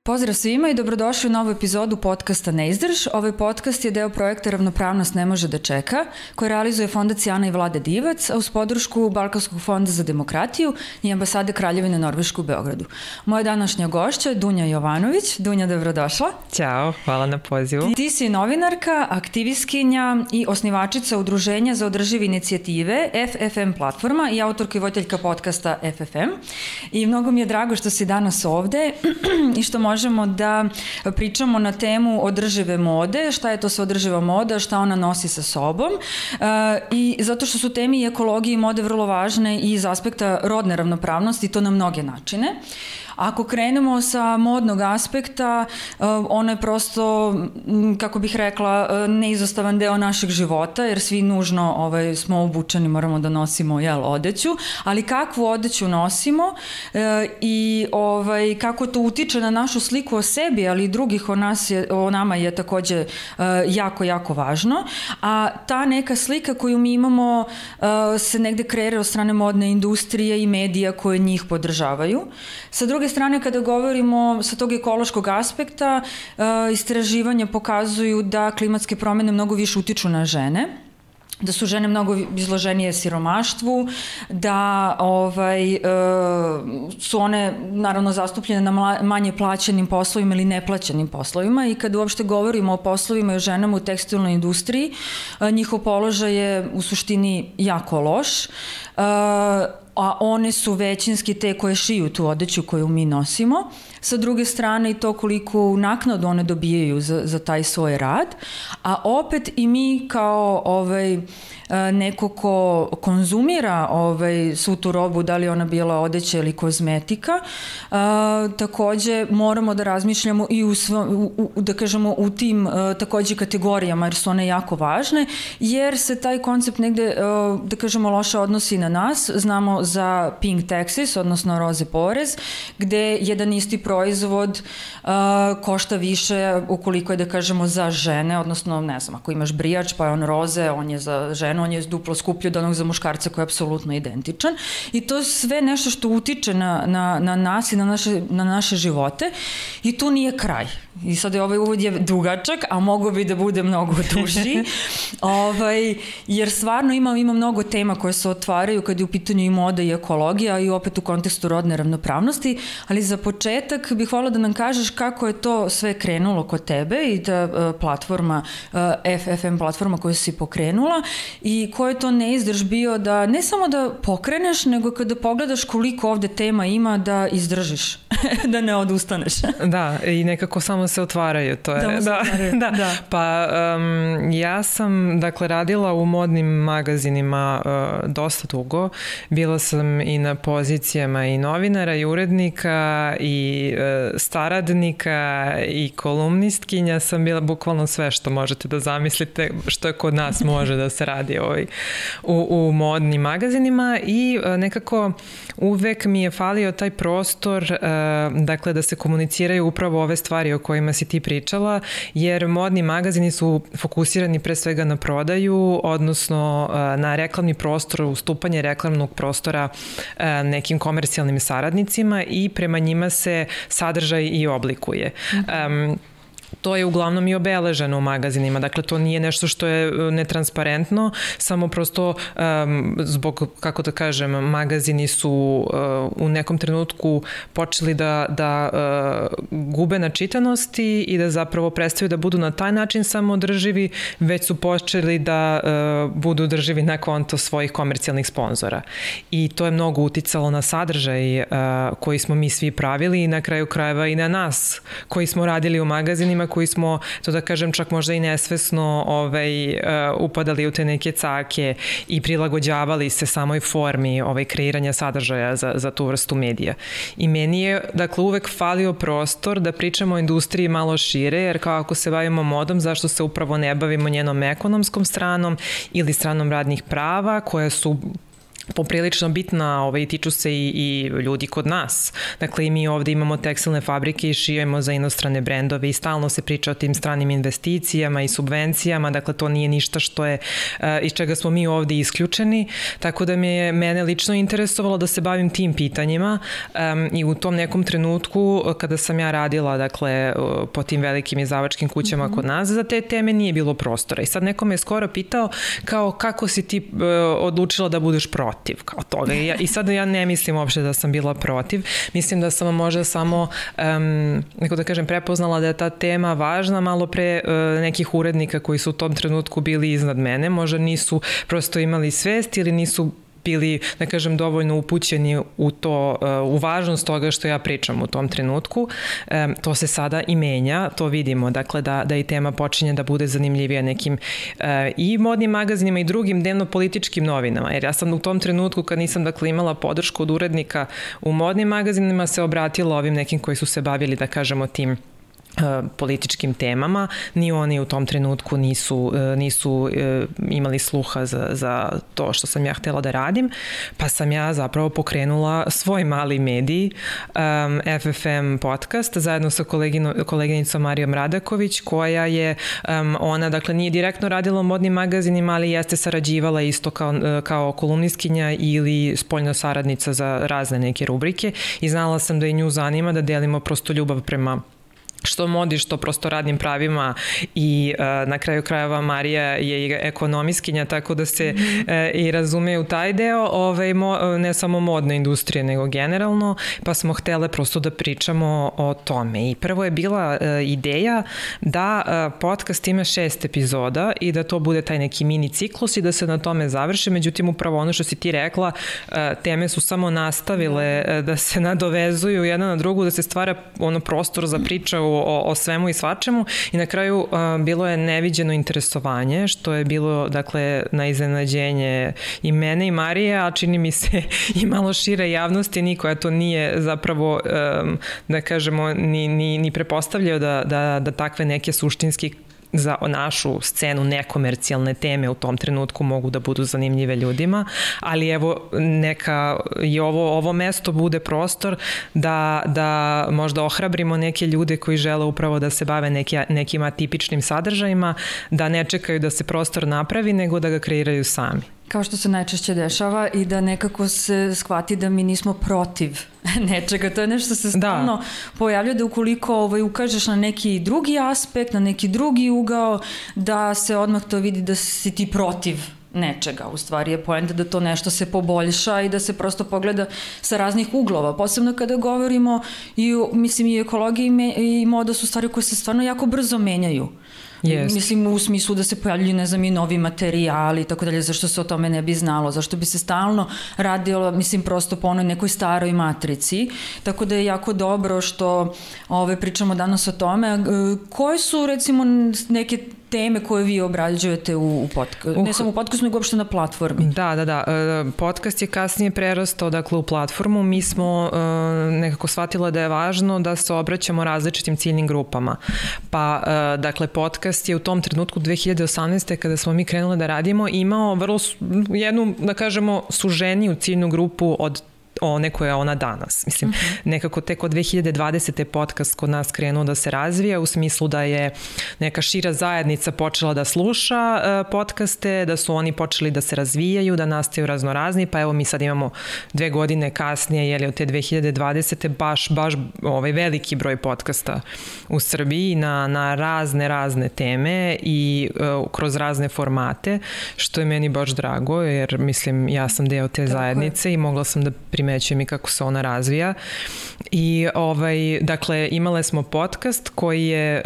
Pozdrav svima i dobrodošli u novu epizodu podcasta Ne izdrž. Ovaj podcast je deo projekta Ravnopravnost ne može da čeka, koji realizuje Fondacija Ana i Vlade Divac, a uz podršku Balkanskog fonda za demokratiju i ambasade Kraljevine Norveške u Beogradu. Moja današnja gošća je Dunja Jovanović. Dunja, dobrodošla. Ćao, hvala na pozivu. Ti si novinarka, aktivistkinja i osnivačica Udruženja za održive inicijative FFM platforma i autorka i voditeljka podcasta FFM. I mnogo mi je drago što si danas ovde i što možemo da pričamo na temu održive mode, šta je to sve održiva moda, šta ona nosi sa sobom i zato što su temi ekologije i mode vrlo važne i iz aspekta rodne ravnopravnosti, to na mnoge načine. Ako krenemo sa modnog aspekta, ono je prosto, kako bih rekla, neizostavan deo našeg života, jer svi nužno smo obučeni, moramo da nosimo odeću, ali kakvu odeću nosimo i kako to utiče na našu sliku o sebi, ali i drugih o nama je takođe jako, jako važno. A ta neka slika koju mi imamo se negde kreira od strane modne industrije i medija koje njih podržavaju. Sa druge strane, kada govorimo sa tog ekološkog aspekta, istraživanja pokazuju da klimatske promene mnogo više utiču na žene, da su žene mnogo izloženije siromaštvu, da su one naravno zastupljene na manje plaćenim poslovima ili neplaćenim poslovima i kada uopšte govorimo o poslovima i o ženama u tekstilnoj industriji, njihov položaj je u suštini jako loš, a one su većinski te koje šiju tu odeću koju mi nosimo. Sa druge strane i to koliko naknadu one dobijaju za taj svoj rad, a opet i mi kao neko ko konzumira svu tu robu, da li ona bila odeća ili kozmetika, takođe moramo da razmišljamo i da kažemo u tim takođe kategorijama, jer su one jako važne, jer se taj koncept negde, da kažemo, loše odnosi na nas. Znamo za pink taxes, odnosno roze porez, gde jedan isti proizvod košta više ukoliko je, da kažemo, za žene, odnosno, ne znam, ako imaš brijač pa je on roze, on je za ženu, on je duplo skuplji od onog za muškarca koji je apsolutno identičan. I to je sve nešto što utiče na nas i na naše živote i tu nije kraj. I sad ovaj uvod je dugačak, a mogo bi da bude mnogo duži, jer stvarno ima mnogo tema koje se otvaraju kad je u pitanju i moda i ekologija i opet u kontekstu rodne ravnopravnosti, ali za početak bih voljela da nam kažeš kako je to sve krenulo kod tebe i ta platforma, FFM platforma koju si pokrenula i ko je to neizdrž bio da ne samo da pokreneš, nego kada pogledaš koliko ovde tema ima da izdržiš, da ne odustaneš. Da, i nekako samo se otvaraju, to je. Da. Pa ja sam, dakle, radila u modnim magazinima dosta dugo. Bila sam i na pozicijama i novinara i urednika i saradnika i kolumnistkinja. Sam bila bukvalno sve što možete da zamislite, što je kod nas može da se radi u modnim magazinima i nekako uvek mi je falio taj prostor, dakle, da se komuniciraju upravo ove stvari o kojima si ti pričala, jer modni magazini su fokusirani pre svega na prodaju, odnosno na reklamni prostor, ustupanje reklamnog prostora nekim komercijalnim saradnicima i prema njima se sadržaj i oblikuje. To je uglavnom i obeleženo u magazinima, dakle to nije nešto što je netransparentno, samo prosto zbog, kako da kažem, magazini su u nekom trenutku počeli da gube na čitanosti i da zapravo prestaju da budu na taj način samoodrživi, već su počeli da budu održivi na konto svojih komercijalnih sponzora. I to je mnogo uticalo na sadržaj koji smo mi svi pravili i na kraju krajeva i na nas koji smo radili u magazinima, koji smo, to da kažem, čak možda i nesvesno upadali u te neke cake i prilagođavali se samoj formi kreiranja sadržaja za tu vrstu medija. I meni je, dakle, uvek falio prostor da pričamo o industriji malo šire, jer kao ako se bavimo modom, zašto se upravo ne bavimo njenom ekonomskom stranom ili stranom radnih prava, koja su poprilično bitna i tiču se i ljudi kod nas. Dakle, i mi ovde imamo tekstilne fabrike i šijemo za inostrane brendove i stalno se priča o tim stranim investicijama i subvencijama, dakle to nije ništa što je, iz čega smo mi ovde isključeni, tako da mene lično interesovalo da se bavim tim pitanjima i u tom nekom trenutku kada sam ja radila, dakle, po tim velikim izdavačkim kućama kod nas, za te teme nije bilo prostora. I sad neko me je skoro pitao kao kako si ti odlučila da budeš protiv kao toga. I sad ja ne mislim uopšte da sam bila protiv. Mislim da sam možda samo, neko da kažem, prepoznala da je ta tema važna malo pre nekih urednika koji su u tom trenutku bili iznad mene. Možda nisu prosto imali svest ili nisu bili, da kažem, dovoljno upućeni u to, u važnost toga što ja pričam u tom trenutku. To se sada i menja, to vidimo, dakle da i tema počinje da bude zanimljivija nekim i modnim magazinima i drugim dnevno-političkim novinama, jer ja sam u tom trenutku kad nisam, dakle, imala podršku od urednika u modnim magazinima se obratila ovim nekim koji su se bavili, da kažemo, tim političkim temama, ni oni u tom trenutku nisu imali sluha za to što sam ja htela da radim, pa sam ja zapravo pokrenula svoj mali medij, FFM podcast, zajedno sa koleginicom Marijom Radaković, koja je, ona, dakle, nije direktno radila u modnim magazinima, ali jeste sarađivala isto kao kolumnistkinja ili spoljna saradnica za razne neke rubrike i znala sam da i nju zanima da delimo prosto ljubav prema što modi, što prosto radnim pravima i na kraju krajeva Marija je i ekonomistkinja, tako da se i razume u taj deo, ne samo modne industrije, nego generalno, pa smo htele prosto da pričamo o tome. I prvo je bila ideja da podcast ima 6 epizoda i da to bude taj neki mini ciklus i da se na tome završi, međutim upravo ono što si ti rekla, teme su samo nastavile da se nadovezuju jedna na drugu, da se stvara prostor za priča o svemu i svačemu i na kraju bilo je neviđeno interesovanje, što je bilo, dakle, na iznenađenje i mene i Marije, a čini mi se i malo šire javnosti, niko to nije zapravo, da kažemo, ni prepostavljao da takve neke suštinski za našu scenu nekomercijalne teme u tom trenutku mogu da budu zanimljive ljudima, ali evo neka i ovo mesto bude prostor da možda ohrabrimo neke ljude koji žele upravo da se bave nekim atipičnim sadržajima, da ne čekaju da se prostor napravi, nego da ga kreiraju sami. Kao što se najčešće dešava i da nekako se shvati da mi nismo protiv nečega. To je nešto se stalno pojavljuje, da ukoliko ukažeš na neki drugi aspekt, na neki drugi ugao, da se odmah to vidi da si ti protiv nečega. U stvari je poenta da to nešto se poboljša i da se prosto pogleda sa raznih uglova. Posebno kada govorimo i ekologija i moda su stvari koje se stvarno jako brzo menjaju. Yes. Mislim, u smislu da se pojavljuju, ne znam, i novi materijali i tako dalje, zašto se o tome ne bi znalo, zašto bi se stalno radilo, prosto po onoj nekoj staroj matrici, tako da je jako dobro što pričamo danas o tome. Koje su, recimo, neke teme koje vi obrađujete u podcastu, ne samo u podcastu, nego uopšte na platformi? Da. Podcast je kasnije prerastao, dakle, u platformu. Mi smo nekako shvatila da je važno da se obraćamo različitim ciljnim grupama. Pa, dakle, podcast je u tom trenutku 2018. kada smo mi krenuli da radimo, imao vrlo jednu, da kažemo, suženiju ciljnu grupu od one koja je ona danas. Mislim, nekako tek od 2020. podcast kod nas krenuo da se razvija u smislu da je neka šira zajednica počela da sluša podcaste, da su oni počeli da se razvijaju, da nastaju raznorazni, pa evo mi sad imamo 2 godine kasnije, od te 2020. baš veliki broj podcasta u Srbiji na razne teme i kroz razne formate, što je meni baš drago, jer mislim, ja sam deo te zajednice i mogla sam da primećujem i kako se ona razvija. I dakle, imale smo podcast koji je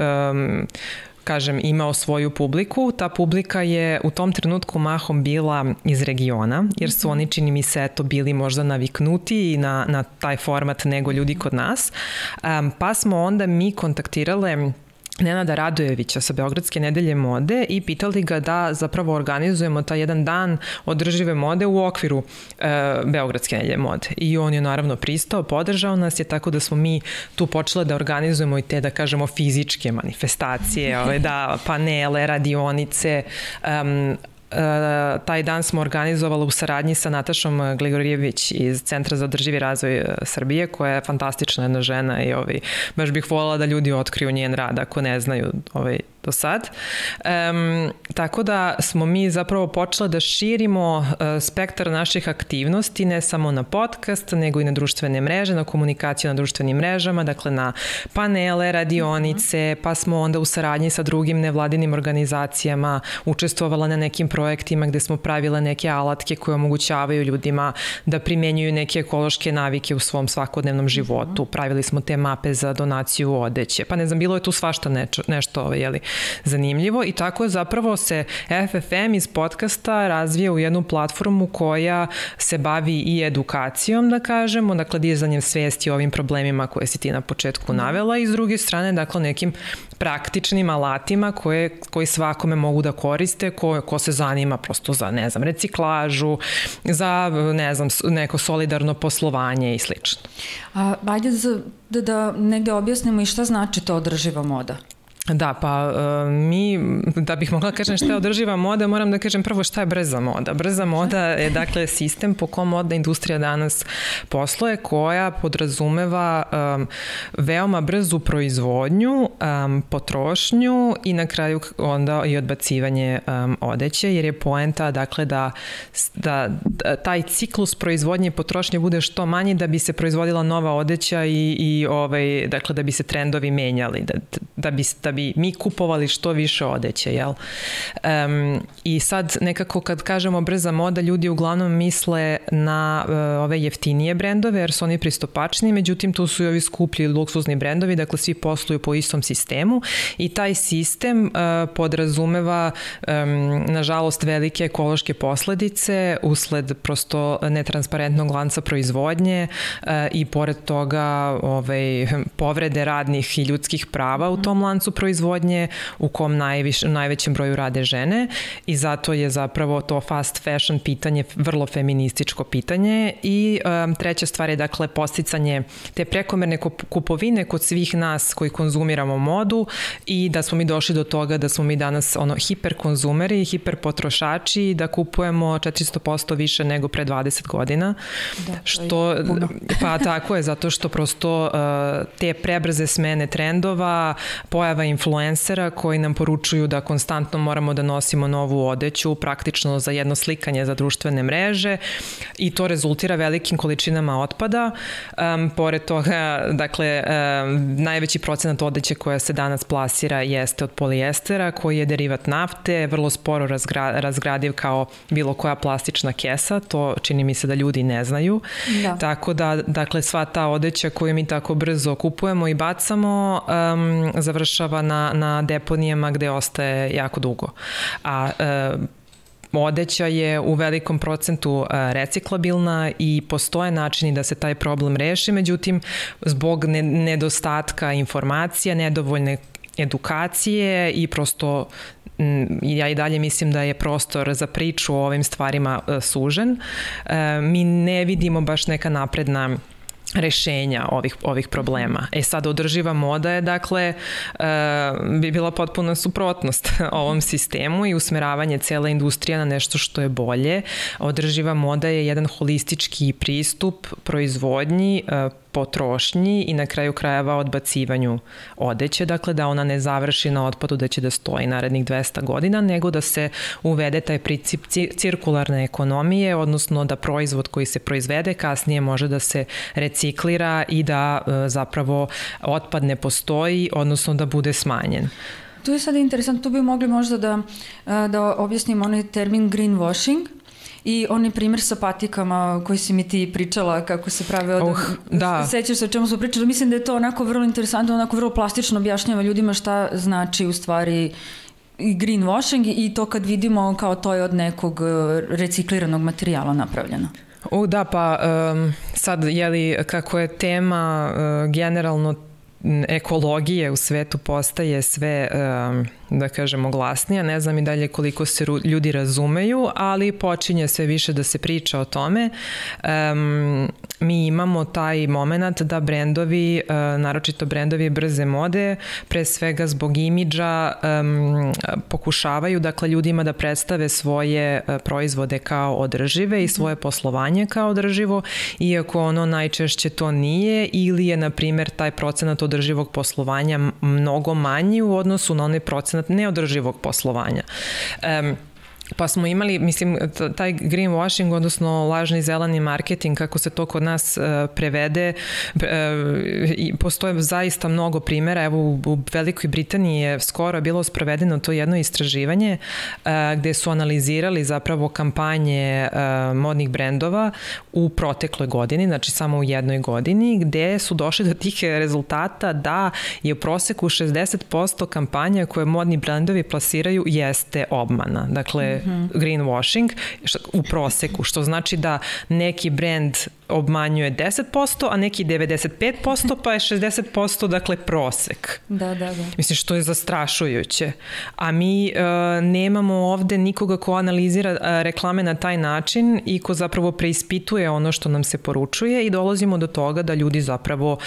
imao svoju publiku. Ta publika je u tom trenutku mahom bila iz regiona, jer su oni, čini mi se, bili možda naviknuti na taj format nego ljudi kod nas. Pa smo onda mi kontaktirale Nenada Radojevića sa Beogradske nedelje mode i pitali ga da zapravo organizujemo taj jedan dan održive mode u okviru Beogradske nedelje mode. I on je naravno pristao, podržao nas je, tako da smo mi tu počeli da organizujemo i te, da kažemo, fizičke manifestacije, panele, radionice, taj dan smo organizovali u saradnji sa Natašom Gligorijević iz Centra za održivi razvoj Srbije, koja je fantastična jedna žena i baš bih voljela da ljudi otkriju njen rad ako ne znaju do sad. Tako da smo mi zapravo počeli da širimo spektar naših aktivnosti, ne samo na podcast, nego i na društvene mreže, na komunikaciju na društvenim mrežama, dakle na panele, radionice, pa smo onda u saradnji sa drugim nevladinim organizacijama učestvovala na nekim projektima gde smo pravile neke alatke koje omogućavaju ljudima da primenjuju neke ekološke navike u svom svakodnevnom životu. Pravili smo te mape za donaciju odeće. Pa ne znam, bilo je tu svašta nešto zanimljivo i tako je zapravo se FFM iz podcasta razvija u jednu platformu koja se bavi i edukacijom, da kažemo, dakle dizanjem svesti o ovim problemima koje si ti na početku navela i s druge strane, dakle nekim praktičnim alatima koji svakome mogu da koriste, ko se zanima prosto za, ne znam, reciklažu, za, ne znam, neko solidarno poslovanje i slično. Ajde da negde objasnimo i šta znači to održiva moda. Da, pa mi, da bih mogla kažem šta je održiva moda, moram da kažem prvo šta je brza moda. Brza moda je dakle sistem po kom modna industrija danas posluje, koja podrazumeva veoma brzu proizvodnju, potrošnju i na kraju onda i odbacivanje odeće, jer je poenta dakle da taj ciklus proizvodnje i potrošnje bude što manji da bi se proizvodila nova odeća i dakle da bi se trendovi menjali, da bi mi kupovali što više odeće, jel? I sad nekako kad kažemo brza moda, ljudi uglavnom misle na ove jeftinije brendove, jer su oni pristupačni, međutim tu su i ovi skuplji luksuzni brendovi, dakle svi posluju po istom sistemu i taj sistem podrazumeva nažalost velike ekološke posledice usled prosto netransparentnog lanca proizvodnje i pored toga povrede radnih i ljudskih prava u tom lancu proizvodnje u kom najvećem broju rade žene i zato je zapravo to fast fashion pitanje vrlo feminističko pitanje i treća stvar je dakle posticanje te prekomerne kupovine kod svih nas koji konzumiramo modu i da smo mi došli do toga da smo mi danas hiperkonzumeri, hiperpotrošači i da kupujemo 400% više nego pre 20 godina. Da, što je puno. Pa tako je, zato što prosto te prebrze smene trendova, pojava influencera koji nam poručuju da konstantno moramo da nosimo novu odeću, praktično za jedno slikanje za društvene mreže i to rezultira velikim količinama otpada. Pored toga, dakle, najveći procenat odeće koja se danas plasira jeste od polijestera, koji je derivat nafte, vrlo sporo razgradiv kao bilo koja plastična kesa, to čini mi se da ljudi ne znaju. Da. Tako da, dakle, sva ta odeća koju mi tako brzo kupujemo i bacamo, završava na deponijama gde ostaje jako dugo. A odeća je u velikom procentu reciklabilna i postoje načini da se taj problem reši, međutim, zbog nedostatka informacija, nedovoljne edukacije i prosto ja i dalje mislim da je prostor za priču o ovim stvarima sužen. Mi ne vidimo baš neka napredna rešenja ovih problema. Sad održiva moda je, dakle, bi bila potpuna suprotnost ovom sistemu i usmeravanje cele industrije na nešto što je bolje. Održiva moda je jedan holistički pristup proizvodnji, potrošnji i na kraju krajeva odbacivanju odeće, dakle da ona ne završi na otpadu da će da stoji narednih 200 godina, nego da se uvede taj princip cirkularne ekonomije, odnosno da proizvod koji se proizvede kasnije može da se reciklira i da zapravo otpad ne postoji, odnosno da bude smanjen. Tu je sad interesantno, tu bi mogli možda da objasnimo onaj termin greenwashing, i onaj primjer sa patikama koji si mi ti pričala kako se prave da. Sećaš se o čemu smo pričali, mislim da je to onako vrlo interesantno, onako vrlo plastično objašnjava ljudima šta znači u stvari greenwashing i to kad vidimo kao to je od nekog recikliranog materijala napravljeno. Da, pa sad kako je tema generalno ekologije u svetu postaje sve da kažemo, glasnija. Ne znam i dalje koliko se ljudi razumeju, ali počinje sve više da se priča o tome. Mi imamo taj moment da brendovi, naročito brendovi brze mode, pre svega zbog imidža, pokušavaju, dakle, ljudima da predstave svoje proizvode kao održive i svoje poslovanje kao održivo, iako ono najčešće to nije, ili je, na primjer, taj procenat održivog poslovanja mnogo manji u odnosu na onaj procenat neodrživog poslovanja. Pa smo imali, mislim, taj greenwashing, odnosno lažni zeleni marketing, kako se to kod nas prevede, postoje zaista mnogo primjera. Evo, u Velikoj Britaniji je skoro bilo sprovedeno to jedno istraživanje gde su analizirali zapravo kampanje modnih brendova u protekloj godini, znači samo u jednoj godini, gde su došli do tih rezultata da je u proseku 60% kampanja koje modni brendovi plasiraju jeste obmana. Dakle, greenwashing u proseku, što znači da neki brend obmanjuje 10%, a neki 95%, pa je 60%, dakle, prosek. Da. Mislim, što je zastrašujuće. A mi nemamo ovde nikoga ko analizira reklame na taj način i ko zapravo preispituje ono što nam se poručuje i dolazimo do toga da ljudi zapravo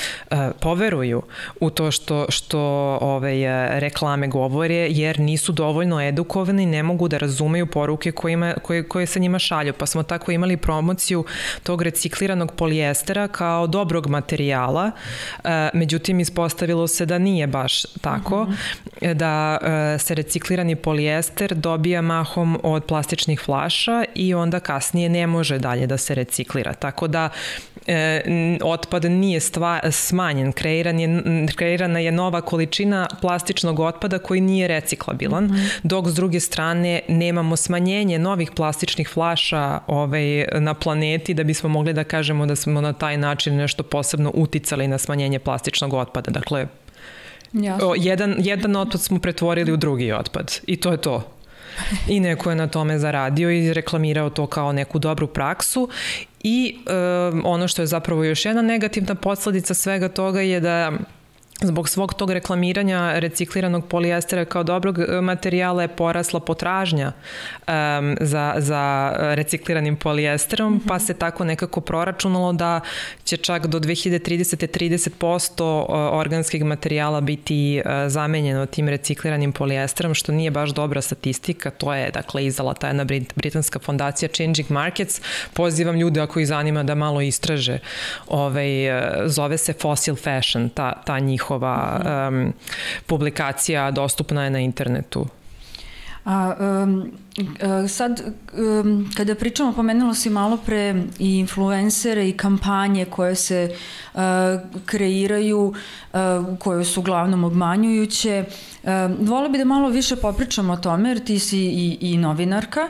poveruju u to što reklame govore, jer nisu dovoljno edukovani, ne mogu da razumeju poruke koje se njima šalju. Pa smo tako imali promociju tog recikliranog polijestera kao dobrog materijala, međutim ispostavilo se da nije baš tako, da se reciklirani polijester dobija mahom od plastičnih flaša i onda kasnije ne može dalje da se reciklira. Tako da otpad nije smanjen, kreirana je nova količina plastičnog otpada koji nije reciklabilan, dok s druge strane nemamo smanjenje novih plastičnih flaša na planeti da bismo mogli da kažemo da smo na taj način nešto posebno uticali na smanjenje plastičnog otpada. Dakle, jedan otpad smo pretvorili u drugi otpad i to je to. I neko je na tome zaradio i reklamirao to kao neku dobru praksu. I ono što je zapravo još jedna negativna posledica svega toga je da zbog svog tog reklamiranja recikliranog polijestera kao dobrog materijala je porasla potražnja za recikliranim polijesterom, pa se tako nekako proračunalo da će čak do 2030. 30% organskih materijala biti zamenjeno tim recikliranim polijesterom, što nije baš dobra statistika. To je, dakle, izdala ta jedna britanska fondacija Changing Markets. Pozivam ljude, ako ih zanima, da malo istraže. Zove se Fossil Fashion, ta njihova publikacija, dostupna je na internetu. Sad, kada pričamo, pomenula si malo pre i influencere i kampanje koje se kreiraju, koje su uglavnom obmanjujuće. Vola bi da malo više popričamo o tome, jer ti si i novinarka,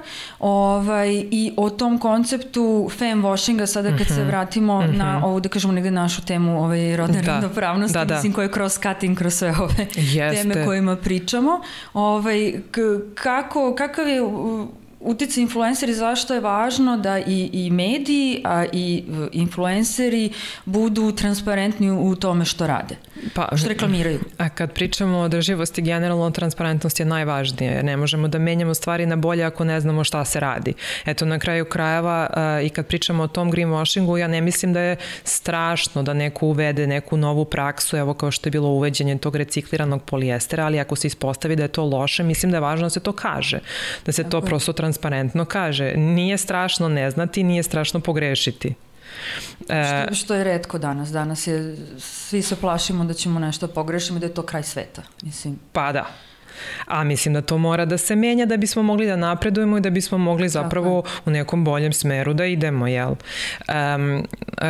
i o tom konceptu femme-washinga, sada kad se vratimo na ovu, da kažemo, negde našu temu rodne ravnopravnosti, mislim, koja je cross-cutting kroz sve ove teme kojima pričamo. Kakav je uticaj influenceri, zašto je važno da i mediji, a i influenceri budu transparentni u tome što rade, što reklamiraju? A kad pričamo o održivosti, generalno transparentnost je najvažnije. Ne možemo da menjamo stvari na bolje ako ne znamo šta se radi. Eto, na kraju krajeva, i kad pričamo o tom greenwashingu, ja ne mislim da je strašno da neko uvede neku novu praksu, evo kao što je bilo uveđenje tog recikliranog polijestera, ali ako se ispostavi da je to loše, mislim da je važno da se to kaže. Da se to prosto transparentno kaže. Nije strašno ne znati, nije strašno pogrešiti. Što je retko danas. Danas je, svi se plašimo da ćemo nešto pogrešiti i da je to kraj sveta. Mislim. Pa da. A mislim da to mora da se menja da bismo mogli da napredujemo i da bismo mogli zapravo u nekom boljem smeru da idemo, jel?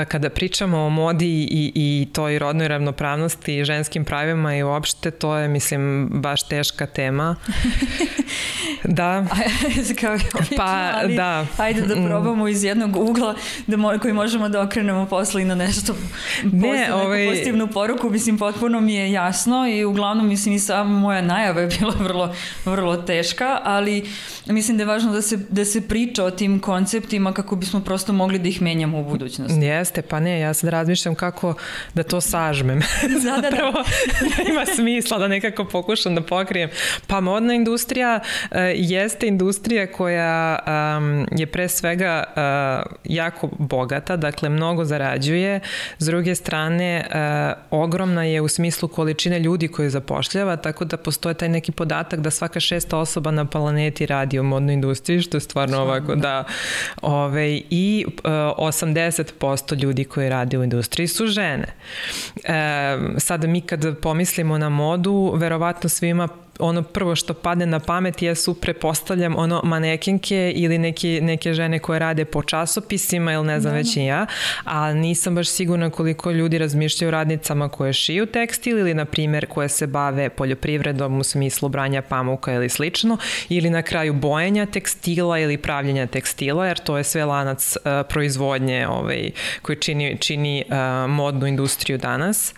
Kada pričamo o modi i toj rodnoj ravnopravnosti i ženskim pravima i uopšte, to je, mislim, baš teška tema. Da. Ali ajde da probamo iz jednog ugla koji možemo da okrenemo posle i na nešto neku pozitivnu poruku. Mislim, potpuno mi je jasno i uglavnom, mislim, i sama moja najava je bila vrlo teška, ali mislim da je važno da se priča o tim konceptima kako bismo prosto mogli da ih menjamo u budućnosti. Jeste, pa ne, ja sad razmišljam kako da to sažmem. Zapravo da ima smisla da nekako pokušam da pokrijem. Pa modna industrija jeste industrija koja je pre svega jako bogata, dakle mnogo zarađuje, s druge strane ogromna je u smislu količine ljudi koje zapošljava, tako da postoje taj neki podatak da svaka 6. osoba na planeti radi u modnoj industriji, što je stvarno ovako da i 80% ljudi koji radi u industriji su žene. Sada mi kad pomislimo na modu, verovatno svima ono prvo što padne na pamet jesu, pretpostavljam, manekenke ili neke žene koje rade po časopisima ili ne znam već i ja, a nisam baš sigurna koliko ljudi razmišljaju o radnicama koje šiju tekstil ili na primjer koje se bave poljoprivredom u smislu branja pamuka ili slično, ili na kraju bojenja tekstila ili pravljenja tekstila, jer to je sve lanac proizvodnje koji čini modnu industriju danas.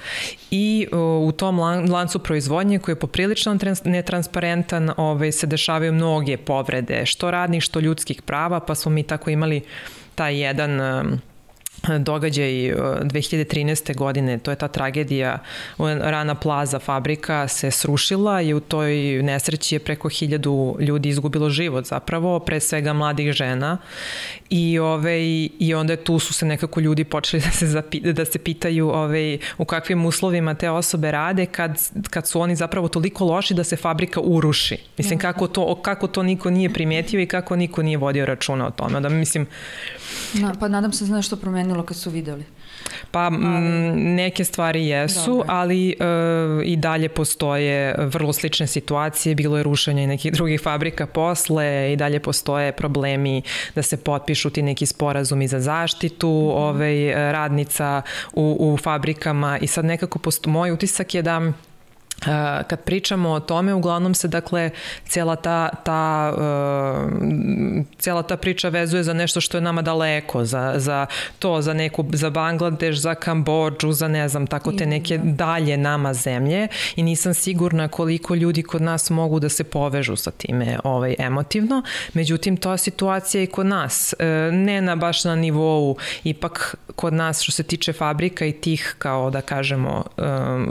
I u tom lancu proizvodnje koji je poprilično netransparentan, se dešavaju mnoge povrede, što radnih, što ljudskih prava, pa smo mi tako imali taj jedan događaj 2013. godine, to je ta tragedija, Rana Plaza fabrika se srušila i u toj nesreći je preko 1000 ljudi izgubilo život zapravo, pre svega mladih žena i onda tu su se nekako ljudi počeli da se pitaju u kakvim uslovima te osobe rade kad su oni zapravo toliko loši da se fabrika uruši. Mislim, kako to niko nije primetio i kako niko nije vodio računa o tome. Da, mislim, pa nadam se znaš što promenilo kad su videli. Pa neke stvari jesu, dobre, ali i dalje postoje vrlo slične situacije, bilo je rušenje i nekih drugih fabrika posle i dalje postoje problemi da se potpišu ti neki sporazumi za zaštitu radnica u fabrikama i sad nekako moj utisak je da kad pričamo o tome, uglavnom se dakle cijela ta priča vezuje za nešto što je nama daleko, za Bangladeš, za Kambodžu, za ne znam, tako te neke dalje nama zemlje i nisam sigurna koliko ljudi kod nas mogu da se povežu sa time emotivno. Međutim, to je situacija i kod nas. Ne baš na nivou, ipak kod nas što se tiče fabrika i tih, kao da kažemo,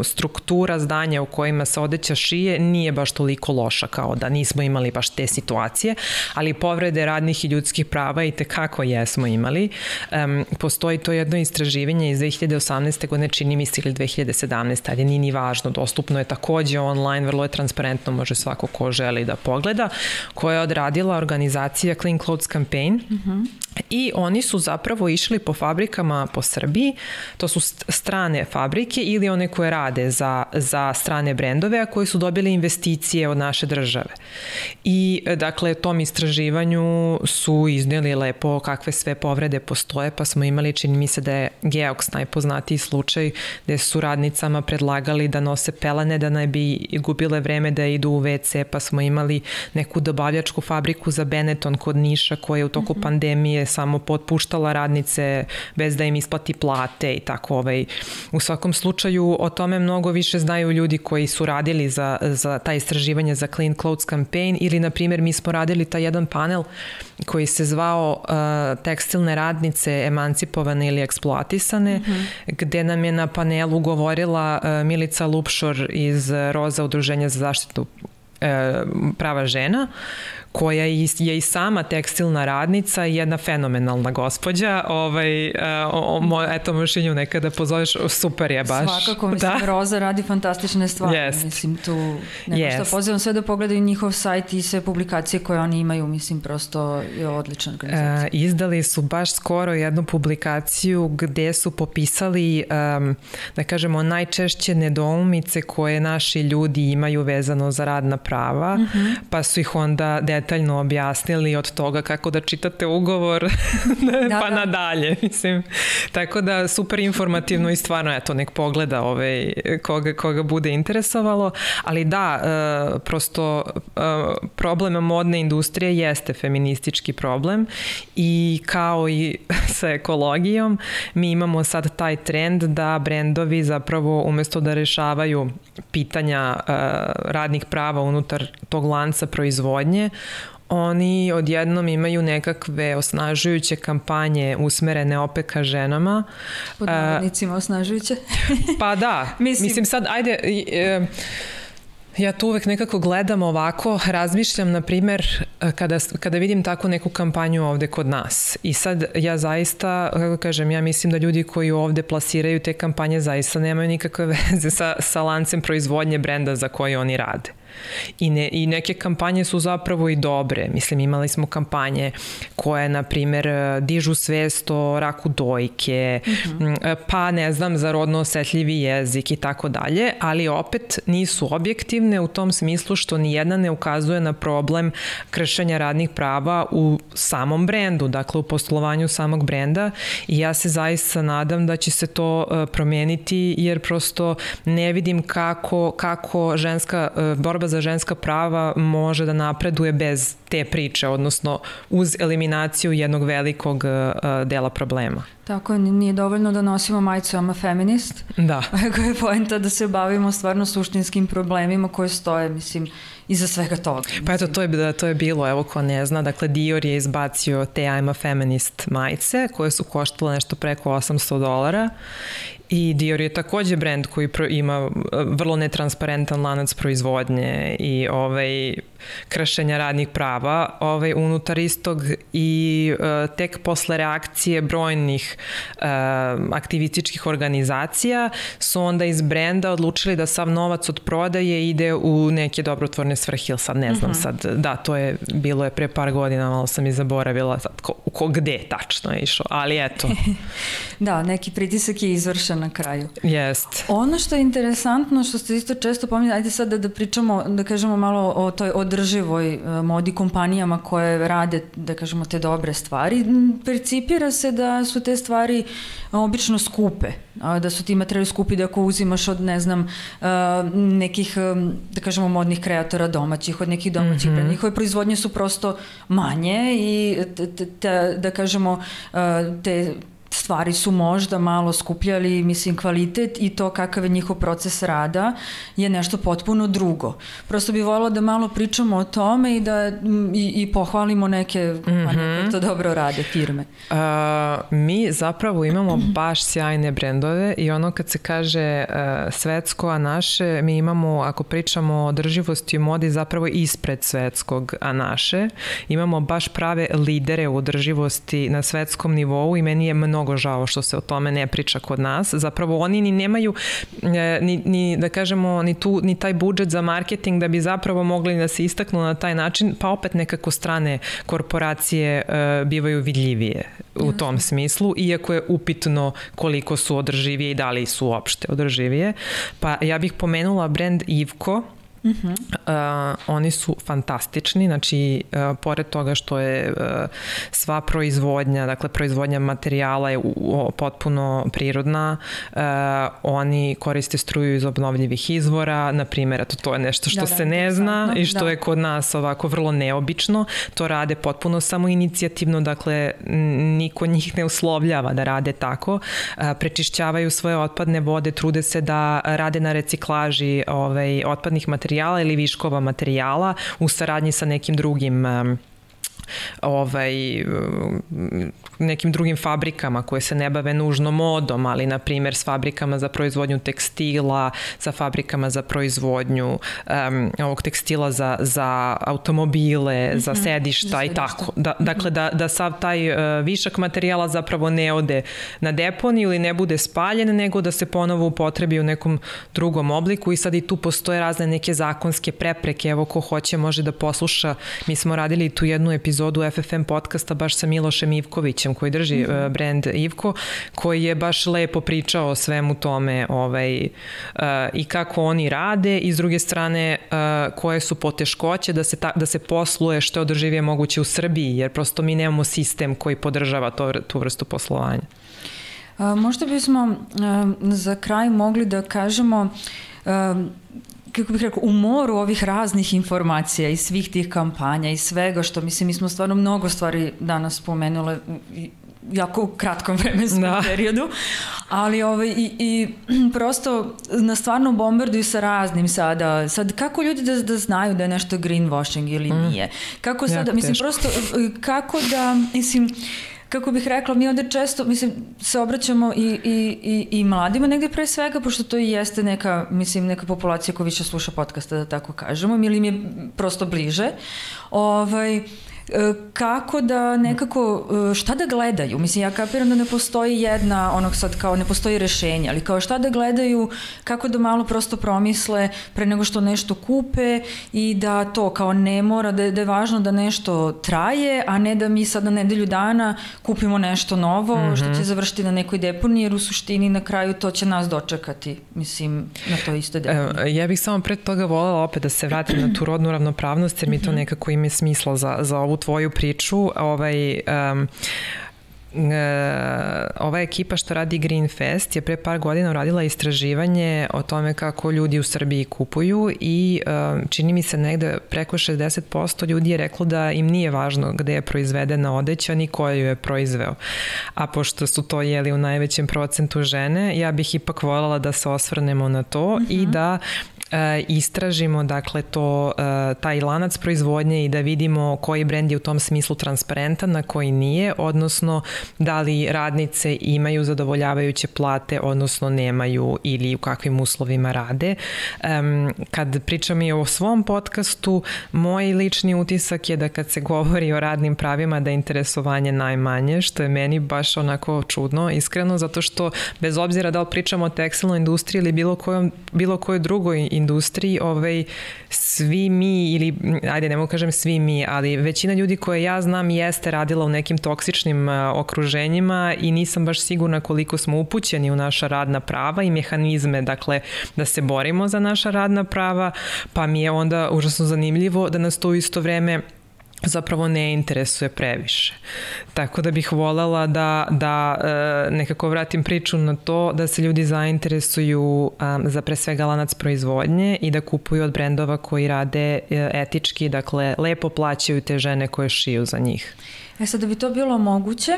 struktura zdanja u kojima se odeća šije nije baš toliko loša, kao da nismo imali baš te situacije, ali povrede radnih i ljudskih prava i tekako jesmo imali. Postoji to jedno istraživanje iz 2018. godine, čini mi se, ili 2017. ali nije ni važno, dostupno je takođe online, vrlo je transparentno, može svako ko želi da pogleda, koja je odradila organizacija Clean Clothes Campaign i oni su zapravo išli po fabrikama po Srbiji, to su strane fabrike ili one koje rade za strane brendove, a koji su dobili investicije od naše države. I dakle, tom istraživanju su iznijeli lepo kakve sve povrede postoje, pa smo imali, čini mi se da je Geox najpoznatiji slučaj, gde su radnicama predlagali da nose pelene, da ne bi gubile vreme da idu u WC, pa smo imali neku dobavljačku fabriku za Benetton kod Niša, koja je u toku pandemije samo potpuštala radnice bez da im isplati plate i tako. U svakom slučaju o tome mnogo više znaju ljudi koji su radili za ta istraživanja za Clean Clothes Campaign ili, na primjer, mi smo radili taj jedan panel koji se zvao Tekstilne radnice emancipovane ili eksploatisane, gde nam je na panelu govorila Milica Lupšor iz Roza udruženja za zaštitu prava žena, koja je i sama tekstilna radnica i jedna fenomenalna gospođa. Eto, možeš i nju nekada pozoveš, super je baš. Svakako, mislim, Roza radi fantastične stvari. Mislim, tu što pozivam sve da pogledaju njihov sajt i sve publikacije koje oni imaju, mislim, prosto je odlična organizacija. Izdali su baš skoro jednu publikaciju gde su popisali, da kažemo, najčešće nedoumice koje naši ljudi imaju vezano za radna prava, pa su ih onda detaljno objasnili od toga kako da čitate ugovor pa nadalje, mislim. Tako da super informativno i stvarno, eto, nek pogleda koga bude interesovalo, ali da, prosto problem modne industrije jeste feministički problem i kao i sa ekologijom, mi imamo sad taj trend da brendovi zapravo umesto da rešavaju pitanja radnih prava unutar tog lanca proizvodnje, oni odjednom imaju nekakve osnažujuće kampanje usmerene opet ka ženama. Pod navodnicima osnažujuće. Pa da, mislim sad, ajde... Ja tu uvek nekako gledam ovako, razmišljam, na primer, kada vidim tako neku kampanju ovde kod nas. I sad ja zaista, kako kažem, ja mislim da ljudi koji ovde plasiraju te kampanje zaista nemaju nikakve veze sa lancem proizvodnje brenda za koji oni rade. I neke kampanje su zapravo i dobre. Mislim, imali smo kampanje koje, na primer, dižu svest o raku dojke, pa ne znam, za rodno osetljivi jezik i tako dalje, ali opet nisu objektivne u tom smislu što nijedna ne ukazuje na problem kršenja radnih prava u samom brendu, dakle u poslovanju samog brenda, i ja se zaista nadam da će se to promeniti, jer prosto ne vidim kako borba za ženska prava može da napreduje bez te priče, odnosno uz eliminaciju jednog velikog dela problema. Tako, nije dovoljno da nosimo majicu I'm a feminist. Da. Koja je poenta da se bavimo stvarno suštinskim problemima koje stoje, mislim, iza svega toga. Pa eto, to je bilo, evo ko ne zna, dakle Dior je izbacio te I'm a feminist majice koje su koštale nešto preko $800 i Dior je takođe brend koji ima vrlo netransparentan lanac proizvodnje i kršenja radnih prava unutar istog, i tek posle reakcije brojnih aktivističkih organizacija su onda iz brenda odlučili da sav novac od prodaje ide u neke dobrotvorne svrhe, ili sad ne znam sad, da, bilo je pre par godina, malo sam i zaboravila sad gde tačno je išao, ali eto. Da, neki pritisak je izvršen na kraju. Jest. Ono što je interesantno, što ste isto često pominjali, ajde sad da pričamo, da kažemo malo o toj održivoj modi, kompanijama koje rade, da kažemo, te dobre stvari. Percipira se da su te stvari obično skupe, da su ti materijali skupi, da ako uzimaš od, ne znam, nekih, da kažemo, modnih kreatora domaćih, od nekih domaćih brenda, njihove proizvodnje su prosto manje i da kažemo, te stvari su možda malo skupljali, mislim, kvalitet i to kakav je njihov proces rada je nešto potpuno drugo. Prosto bih voljela da malo pričamo o tome i da i pohvalimo neke koje to dobro rade firme. Mi zapravo imamo baš sjajne brendove i ono kad se kaže svetsko, a naše, mi imamo, ako pričamo o održivosti u modi, zapravo ispred svetskog, a naše. Imamo baš prave lidere u održivosti na svetskom nivou i meni je mnogo žao što se o tome ne priča kod nas. Zapravo oni ni nemaju ni da kažemo ni taj budžet za marketing da bi zapravo mogli da se istaknu na taj način, pa opet nekako strane korporacije bivaju vidljivije u tom smislu, iako je upitno koliko su održivije i da li su uopšte održivije. Pa ja bih pomenula brend Ivko. Oni su fantastični, znači pored toga što je sva proizvodnja, dakle proizvodnja materijala je potpuno prirodna, oni koriste struju iz obnovljivih izvora, na primjer, to je nešto što se ne zna i što je kod nas ovako vrlo neobično, to rade potpuno samoinicijativno, dakle niko njih ne uslovljava da rade tako, prečišćavaju svoje otpadne vode, trude se da rade na reciklaži otpadnih materijala ili viškova materijala u saradnji sa nekim drugim nekim drugim fabrikama koje se ne bave nužno modom, ali na primjer s fabrikama za proizvodnju tekstila, sa fabrikama za proizvodnju ovog tekstila za automobile, za sedišta i tako. Dakle, da sav taj višak materijala zapravo ne ode na deponiju ili ne bude spaljen, nego da se ponovo upotrebi u nekom drugom obliku i sad i tu postoje razne neke zakonske prepreke. Evo, ko hoće može da posluša. Mi smo radili tu jednu epizodu FFM podcasta baš sa Milošem Ivkovićem Ivkovićem koji drži brand Ivko, koji je baš lepo pričao o svemu tome i kako oni rade i s druge strane koje su poteškoće da se posluje što je održivije moguće u Srbiji, jer prosto mi nemamo sistem koji podržava tu vrstu poslovanja. Možda bismo za kraj mogli da kažemo, kako bih rekao, u moru ovih raznih informacija i svih tih kampanja i svega što, mislim, mi smo stvarno mnogo stvari danas spomenule jako u kratkom vremenskom periodu, ali i prosto nas stvarno bombarduju sa raznim sada. Sad, kako ljudi da znaju da je nešto greenwashing ili nije? Kako sada, mislim, prosto, kako da, mislim, kako bih rekla, mi ovde često, mislim, se obraćamo i mladima negde pre svega, pošto to i jeste neka, mislim, neka populacija koja više sluša podcaste, da tako kažemo, ili im je prosto bliže. Kako da nekako, šta da gledaju? Mislim, ja kapiram da ne postoji sad kao ne postoji rešenje, ali kao šta da gledaju, kako da malo prosto promisle pre nego što nešto kupe i da to kao ne mora, da je važno da nešto traje, a ne da mi sad na nedelju dana kupimo nešto novo što će završiti na nekoj deponiji, jer u suštini na kraju to će nas dočekati, mislim, na to isto deponiji. Ja bih samo pred toga voljela opet da se vratim na tu rodnu ravnopravnost, jer mi to nekako ima smisla za ovu tvoju priču. Ova ekipa što radi Green Fest je pre par godina uradila istraživanje o tome kako ljudi u Srbiji kupuju i čini mi se negde preko 60% ljudi je reklo da im nije važno gde je proizvedena odeća ni ko ju je proizveo. A pošto su to u najvećem procentu žene, ja bih ipak voljela da se osvrnemo na to i da istražimo, dakle, taj lanac proizvodnje i da vidimo koji brend je u tom smislu transparentan, a koji nije, odnosno da li radnice imaju zadovoljavajuće plate, odnosno nemaju, ili u kakvim uslovima rade. Kad pričam i o svom podcastu, moj lični utisak je da kad se govori o radnim pravima da je interesovanje najmanje, što je meni baš onako čudno, iskreno, zato što bez obzira da li pričamo o tekstilnoj industriji ili bilo kojoj drugoj industriji, svi mi, ili ajde ne mogu kažem svi mi, ali većina ljudi koje ja znam jeste radila u nekim toksičnim okruženjima i nisam baš sigurna koliko smo upućeni u naša radna prava i mehanizme, dakle, da se borimo za naša radna prava, pa mi je onda užasno zanimljivo da nas to u isto vreme zapravo ne interesuje previše. Tako da bih voljela da nekako vratim priču na to da se ljudi zainteresuju za pre svega lanac proizvodnje i da kupuju od brendova koji rade etički, dakle lepo plaćaju te žene koje šiju za njih. Sad da bi to bilo moguće,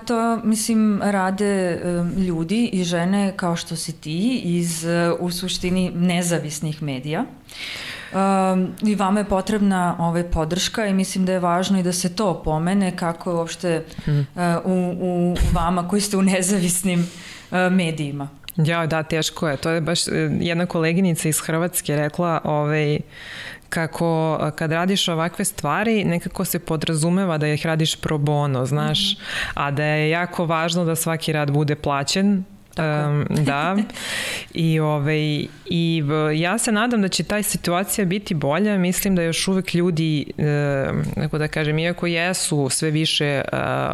to, mislim, rade ljudi i žene kao što si ti iz, u suštini, nezavisnih medija. I vama je potrebna podrška i mislim da je važno i da se to pomene kako je uopšte u vama koji ste u nezavisnim medijima. Ja, da, teško je. To je baš jedna koleginica iz Hrvatske rekla kako kad radiš ovakve stvari nekako se podrazumeva da ih radiš pro bono, znaš, a da je jako važno da svaki rad bude plaćen. Da, i ja se nadam da će taj situacija biti bolja. Mislim da još uvek ljudi, kako da kažem, iako jesu sve više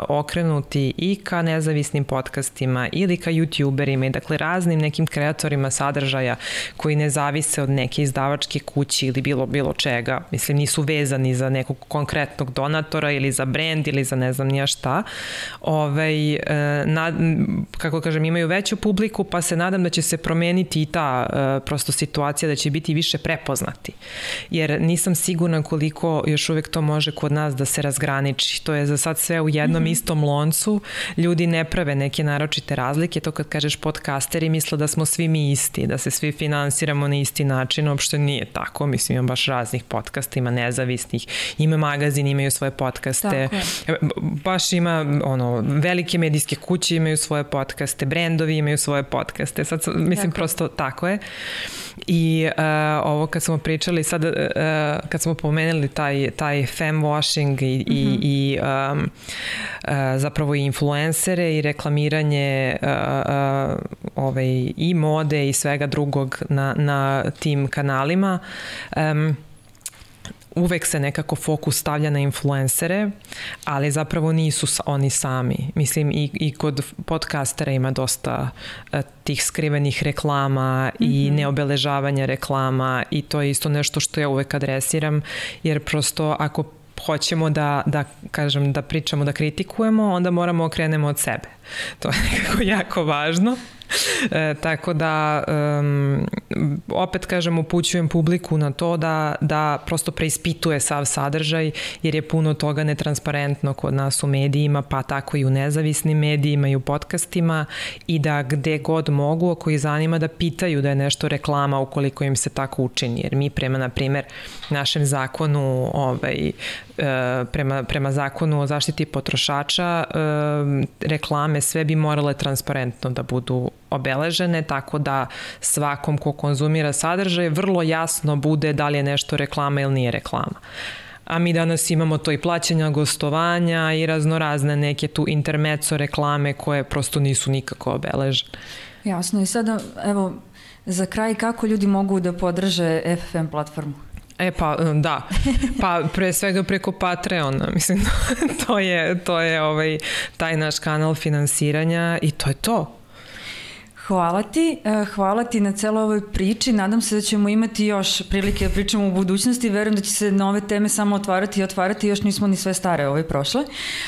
okrenuti i ka nezavisnim podcastima ili ka youtuberima i dakle raznim nekim kreatorima sadržaja koji ne zavise od neke izdavačke kuće ili bilo čega, mislim nisu vezani za nekog konkretnog donatora ili za brend ili za ne znam nija šta, kako kažem, imaju veću publiku, pa se nadam da će se promeniti i ta prosto situacija, da će biti više prepoznati. Jer nisam sigurna koliko još uvek to može kod nas da se razgraniči. To je za sad sve u jednom istom loncu. Ljudi ne prave neke naročite razlike. To kad kažeš podcasteri misle da smo svi mi isti, da se svi finansiramo na isti način. Uopšte nije tako. Mislim, ima baš raznih podcasta, ima nezavisnih, ima magazin, imaju svoje podcaste. Baš ima, velike medijske kuće imaju svoje podcaste, brendovi imaju svoje podcaste. Sad, mislim, prosto tako je. I ovo kad smo pričali sad, kad smo pomenuli taj femwashing i zapravo i influencere i reklamiranje i mode i svega drugog na tim kanalima, uvek se nekako fokus stavlja na influencere, ali zapravo nisu oni sami. Mislim i kod podcastera ima dosta tih skrivenih reklama i neobeležavanja reklama i to je isto nešto što ja uvek adresiram, jer prosto ako hoćemo da pričamo, da kritikujemo, onda moramo okrenemo od sebe. To je nekako jako važno. Tako da opet kažem, upućujem publiku na to da prosto preispituje sav sadržaj, jer je puno toga netransparentno kod nas u medijima, pa tako i u nezavisnim medijima i u podcastima, i da gde god mogu, ako ih zanima, da pitaju da je nešto reklama ukoliko im se tako učini, jer mi prema, na primer, našem zakonu prema zakonu o zaštiti potrošača, reklame sve bi morale transparentno da budu obeležene, tako da svakom ko konzumira sadržaj vrlo jasno bude da li je nešto reklama ili nije reklama. A mi danas imamo to i plaćanja gostovanja i raznorazne neke tu intermezzo reklame koje prosto nisu nikako obeležene. Jasno, i sada evo za kraj, kako ljudi mogu da podrže FFM platformu? Pa da, pa pre svega preko Patreona, mislim, to je taj naš kanal finansiranja i to je to. Hvala ti na celoj ovoj priči, nadam se da ćemo imati još prilike da pričamo u budućnosti, verujem da će se nove teme samo otvarati, još nismo ni sve stare prošle,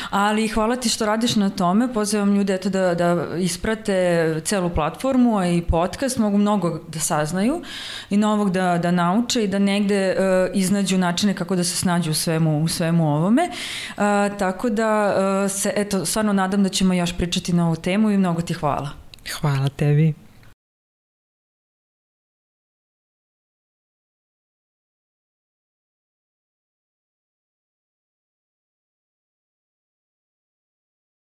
ali hvala ti što radiš na tome, pozivam ljude da isprate celu platformu, a i podcast, mogu mnogo da saznaju i novog da nauče i da negde iznađu načine kako da se snađu u svemu ovome, tako da se, stvarno nadam da ćemo još pričati na ovu temu i mnogo ti hvala. Hvala tebi.